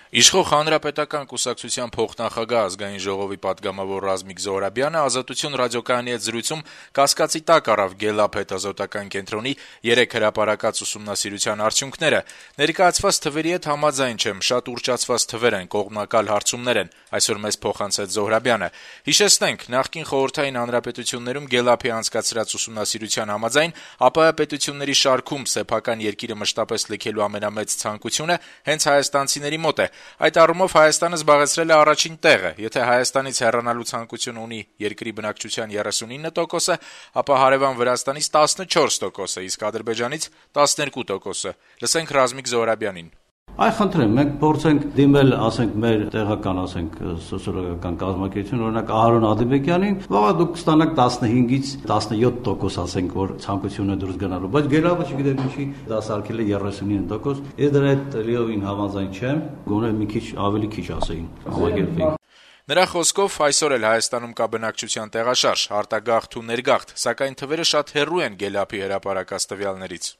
Իշխող Հանրապետական կուսակցության փոխնախագահ ազգային ժողովի պատգամավոր Ռազմիկ Զոհրաբյանը «Ազատություն» ռադիոկայանի հետ զրույցում կասկածի տակ առավ Գելլափ հետազոտական կենտրոնի 3 հրապարակած ուսումնասիրության արդյունքները։ «Ներկայացված թվերի հետ համաձայն չեմ, շատ ուռճացված թվեր են, կողմնակալ հարցումներ են», այսօր մեզ փոխանցեց Զոհրաբյանը։ Հիշեցնենք, նախկին խորհրդային հանրապետություններում Գելլափի անցկացրած ուսումնասիրության համաձայն ԱՊՀ պետությունների շարքում սեփական երկիրը մշտապես լքելու ամենամեծ ցանկությունը հենց հայաստանցիների մոտ է։ Այդ առումով Հայաստանը զբաղեցրել է առաջին տեղը։ Եթե Հայաստանից հեռանալու ցանկություն ունի երկրի բնակչության 39%, ապա հարևան Վրաստանից 14%, իսկ Ադրբեջանից 12%։ Լսենք Ռազմիկ Զոհրաբյանին։ Այ խնդրեմ, մենք փորձենք դիմել, ասենք, մեր տեղական, ասենք, սոցիոլոգիական կազմակերպություն, օրինակ Ահարոն Ադիբեկյանին, վաղը դուք կստանաք 15-ից 17%, ասենք, որ ցանկությունը դուրս գնալու, բայց Գելլափը չգիտեմ ինչի դասարկել է 39%, ես դրա հետ լիովին համաձայն չեմ, գոնե մի քիչ ավելի քիչ ասեին, համագերբեին։ Նրա խոսքով այսօր էլ Հայաստանում կա բնակչության տեղաշարժ, արտագաղթ ու ներգաղթ, սակայն թվերը շատ հեռու են Գելլափի հրապարակած տվյալներից։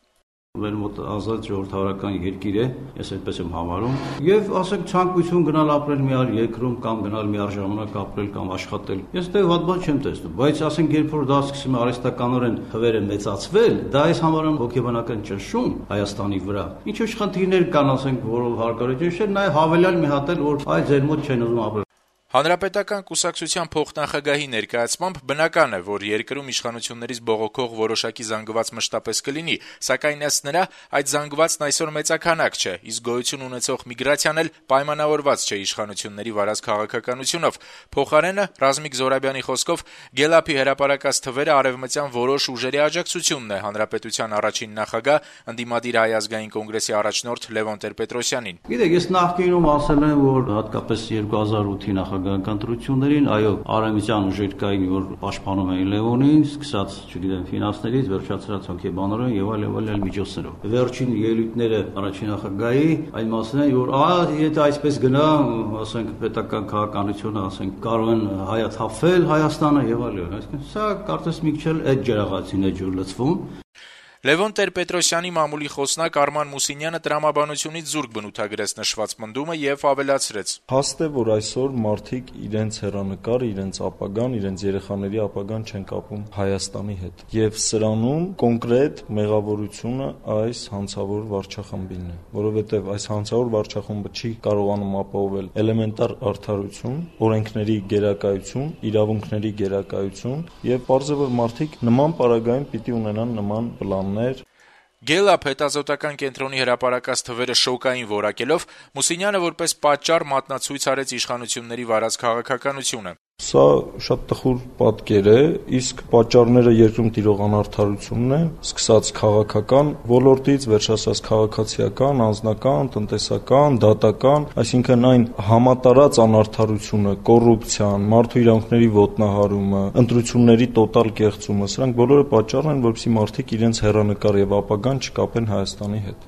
Մեր մոտ ազատ ժողովրդավարական երկիր է, ես այդպես եմ համարում, եւ ասենք ցանկություն գնալ ապրել մի այլ երկրում կամ գնալ մի առժամանակ ապրել կամ աշխատել։ Ես դե վատ բան չեմ տեսնում, բայց ասենք երբ որ դա սկսում է արհեստականորեն թվերը մեծացվել, դա այս համարում հոգեբանական ճնշում Հայաստանի վրա։ Ինչ-որ խնդիրներ կան, ասենք, որով հարկավոր է ճնշել, նաեւ հավելյալ մի հատ էլ որ այ ձեր մոտ չեն ուզում ապրել։ Հանրապետական կուսակցության փոխնախագահի ներկայացմամբ բնական է, որ երկրում իշխանություններից բողոքող որոշակի զանգված մշտապես կլինի, սակայն ըստ նրա այդ զանգվածն այսօր մեծաքանակ չէ, իսկ գոյություն ունեցող միգրացիան էլ պայմանավորված չէ իշխանությունների վարած քաղաքականությունով։ Փոխարենը, Ռազմիկ Զոհրաբյանի խոսքով, Գելլափի հրապարակած թվերը արևմտյան որոշ ուժերի աջակցությունն է հանրապետության առաջին նախագահ, ընդդիմադիր Հայ ազգային կոնգրեսի առաջնորդ Լևոն Տեր-Պետրոսյանին։ Գիտեք, ես նախկինում ասել եմ, որ հատկապես 2008-ի նախագահական ընտրություններին, այո, արևմտյան ուժեր կային, որ պաշտպանում էին Լևոնին, սկսած, չգիտեմ, ֆինանսներից, վերջացրած հոգեբանորեն եւ այլ միջոցներով։ Վերջին ելույթները առաջին նախագահի այն մասն է, որ եթե այսպես գնա, ասենք, պետական քաղաքականությունը, ասենք, կարող են հայաթափվել Հայաստանը եւ այլն։ Այսինքն, սա կարծես մի քիչ էլ այդ ջրաղացին է ջուր լցվում։ Լևոն Տեր-Պետրոսյանի մամուլի խոսնակ Արման Մուսինյանը տրամաբանությունից զուրկ բնութագրեց նշված պնդումը եւ ավելացրեց. Հաստ է, որ այսօր մարդիկ իրենց հեռանկարը, իրենց ապագան, իրենց երեխաների ապագան չեն կապում Հայաստանի հետ։ Եվ սրանում կոնկրետ մեղավորությունը այս հանցավոր վարչախմբին է, որովհետեւ այս հանցավոր վարչախումբը չի կարողանում ապահովել էլեմենտար արդարություն, օրենքների գերակայություն, իրավունքների գերակայություն եւ պարզ է, որ մարդիկ նման պարագայում պիտի ունենան նման պլան։ Գելլափ հետազոտական կենտրոնի հրապարակած թվերը շոկային որակելով Մուսինյանը որպես պատճառ մատնացույց արեց իշխանությունների վարած քաղաքականությունը։ Սա շատ տխուր պատկեր է, իսկ պատճառները երկրում տիրող անարդարությունն է, սկսած քաղաքական ոլորտից, վերջացած քաղաքացիական, անձնական, տնտեսական, դատական, այսինքն այն համատարած անարդարությունը, կոռուպցիան, մարդու իրավունքների ոտնահարումը, ընտրությունների տոտալ կեղծումը, սրանք բոլորը պատճառ են, որպեսզի մարդիկ իրենց հեռանկար եւ ապագան չկապեն Հայաստանի հետ։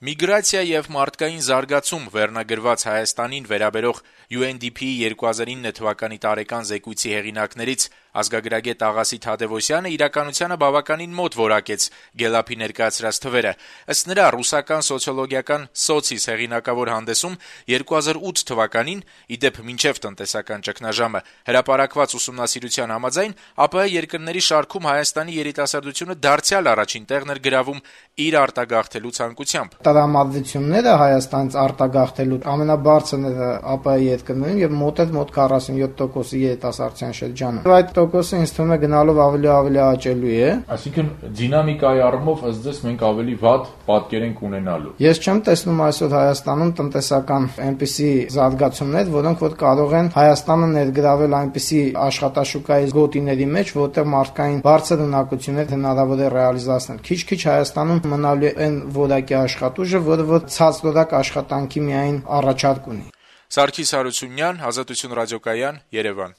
Միգրացիա եւ մարդկային զարգացում վերնագրված Հայաստանին վերաբերող UNDP-ի 2009 թվականի տարեկան զեկույցի հեղինակներից ազգագրագետ Աղասի Թադևոսյանը իրականությանը բավականին մոտ որակեց Գելլափի ներկայացրած թվերը։ Ըստ նրա, ռուսական սոցիոլոգիական Սոցիս հեղինակավոր հանդեսում 2008 թվականին, ի դեպ մինչև տնտեսական ճգնաժամը, հրապարակված ուսումնասիրության համաձայն ԱՊՀ երկրների շարքում Հայաստանի երիտասարդությունը դարձյալ առաջին տեղն էր գրավում իր արտագաղթելու ցանկությամբ։ Տրամադրությունները Հայաստանից արտագաղթելու ամենաբարձրը ԱՊՀ երկրներում եւ մոտ 47%-ի երիտասարդության շրջանում։ Այդ տոկոսը ինձ թվում է գնալով ավելի աճելու է։ Այսինքն դինամիկայի առումով ըստ ձեզ մենք ավելի վատ պատկեր ենք ունենալու։ Ես չեմ տեսնում այսօր Հայաստանում տնտեսական այնպիսի զարգացումներ, որոնք որ կարող են Հայաստանը ներգրավել այնպիսի աշխատաշուկայի գոտիների մեջ, որտեղ մարդկային բարձր ունակություններ հնարավոր է ռեալիզացնել։ Քիչ-քիչ Հայաստանում մնալու են որակի աշխատուժը, որը որ ցածրորակ աշխատանքի միայն առաջարկ ունի։ Սարգիս Հարությունյան, Ազատություն ռադիոկայան, Երևան։